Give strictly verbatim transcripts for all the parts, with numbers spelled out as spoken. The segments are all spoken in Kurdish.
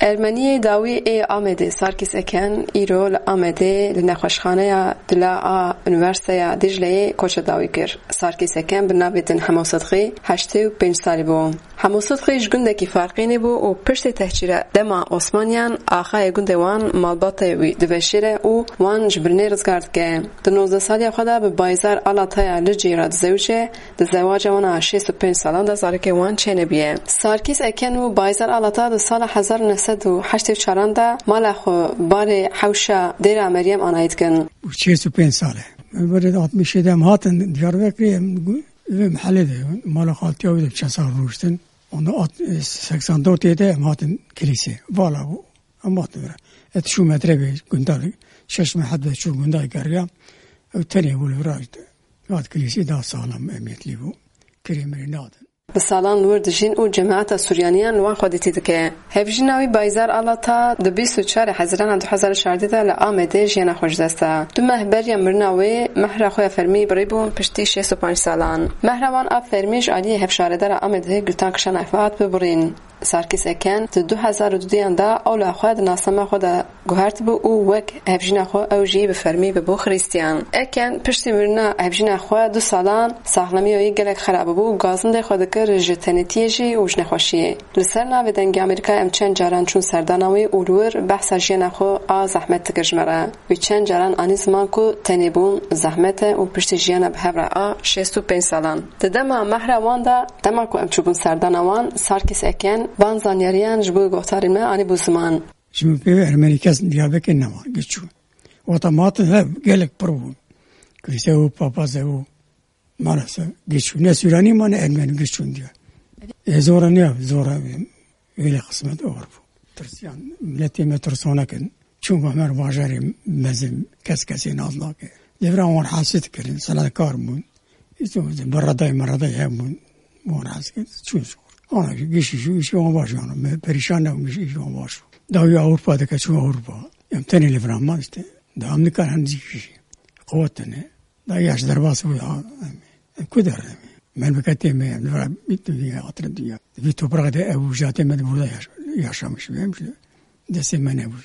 Ermeniyê dawî ê Amedê Sarkîs Eken îro li Amedê li nexweşxaneya dila a Unîversîteya Dîcleyê koça dawî kir. Sarkîs Eken bi navê din Hemo Sidqî heştê û pênc salî bû. Hemo Sidqî ji gundekî Farqînê bû û piştî tehcîra dema Osmaniyan axayê gundê wan malbatê wî diveşêre û wan ji birînê rizgar dike. Di nozdeh saliya xwe de bi Bayzar Alataya Licî re dizewice, di zewaca wan a şêst û pênc salan de zarokê wan çênebûye. Sarkîs Eken û Bayzar Alata di sala hezar û neh sed û heştê û çaran de mala xwe barê hewşa Dêra Meryem Anayî dikin. Şêst û pênc sal e. Em berê altmışê de em hatin Diyarbekirê, em gu-, vê mehelê de, mala xaltiya wî de çend sal rûştin. Onda at-, seksen dört de em hatin kilîsê. Vala bû. Em hatin vira. Et şu metre be gunda, şeş metre be şu gunda geriya. Ew tenê bû li vira işte. Hat kilîsê daha sağlam emniyetlî bû. Kirê mirê nadin. Bi salan li wir dijîn û cemaeta Suryaniyan li wan xwedîtî dike. Hevjîna wî Bayzar Alata di bîst û çarê Hezirana du hezar û şardeh de li Amedê jiyana xwe ji dest da. Du meh beriya mirina wê mehra xwe ya fermî birîbûn piştî şêst û pênc salan. Mehra wan a fermî ji aliyê hevşaredara Amedê Gultan Kişan Efat bû birîn. Sarkîs Eken di du hezar û duduyan de ola xwe di nasnama xwe de guhertibû û wek hevjîna xwe ew jî bi fermî bibû Xirîstiyan. Eken piştî mirina hevjîna xwe du salan saxlemiya wî gelek xerab bû û gazindê xwe dikir ji tenêtiyê jî û ji nexweşiyê. Li ser navê Dengê Amerîka em çend caran çûn serdana wî û li wir behsa jiyana xwe a zehmet dikir ji me re. Wî çend caran anî ziman ku tenêbûn zehmet e û piştî jiyana bi hev re a şêst û pênc salan. Di dema mehra wan de, dema ku em çûbûn serdana wan, Sarkîs Eken van zanyariyan ji bo guhdarên me anîbû ziman. Ji min pê ve Ermenî kes Diyarbekir nema, giç çû. Wata ma hatin hev, gelek pir bûn. Kilîse û papaz û maalesef giç çû. Ne Sûranî ma ne Ermenî giç çûn diye. E, zora ne, zora, e, öyle kısmet olur bu. Tirsiyan, milletê me tirsonek in. Çûn me her bajarê mezin, kes kesê naz nake. Devra wan hasit kirin, selatkar bûn. Îto beredayê meredayê hebûn, wan hez kir, çûn zor. Ana jî gişî jî, îşî wan baş, yani, me perîşan nebûn, gişî îşî wan baş. Dawî Ewropa dike, çûn Ewropa. Em tenê li vira man işte. Dewam nikar hem zî kişî. Quwet tene. Da yaş derbas bû ya. Em, em ku der em. Memleketê me, em li vira bît dinya, hatire dinya. Vî toprağa de ev ujatê me de burada yaş-, yaşamış be, em işte. Destê me nebû.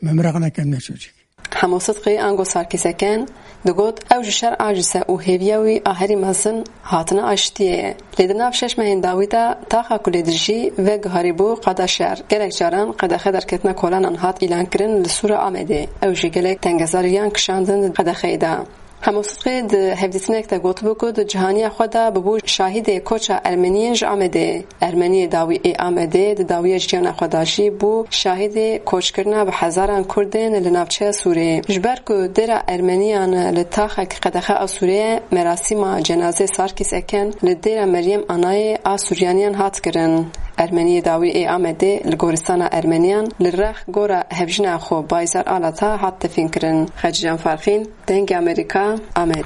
Me miraq nekem ne çocuk. Hemo Sidqî ango Sarkîs Eken digot, ew ji şer aciz e û hêviya wî a herî mezin hatina aştiyê ye. Lê di nav şeş mehên dawî de taxa ku lê dijî veguharîbû qada şer. Gelek caran qedexe derketina kolanan hat îlankirin li Sûra Amedê. Ew jî gelek tengezariyan kişandin di qedexeyê de. Hemo Sidqî di hevdîtinek de gotibû ku di cihaniya xwe de bûbû şahidê koça Ermeniyên ji Amedê. Ermeniyê dawî ê Amedê di dawiya jiyana xwe de jî bû şahidê koçkirina bi hezaran Kurdên li navçeya Sûrê. Ji ber ku dêra Ermeniyan li taxek qedexe a Sûrê ye, merasîma cenazê Sarkîs Eken li dêra Meryem Anayê a Sûriyaniyan hat kirin. Ermeniyê dawî ê Amedê li goristana Ermeniyan li rex gora hevjîna xwe Bayzar Alata hat defîn kirin. Xecîcan Farqîn, Dengê Amerîka, Amed.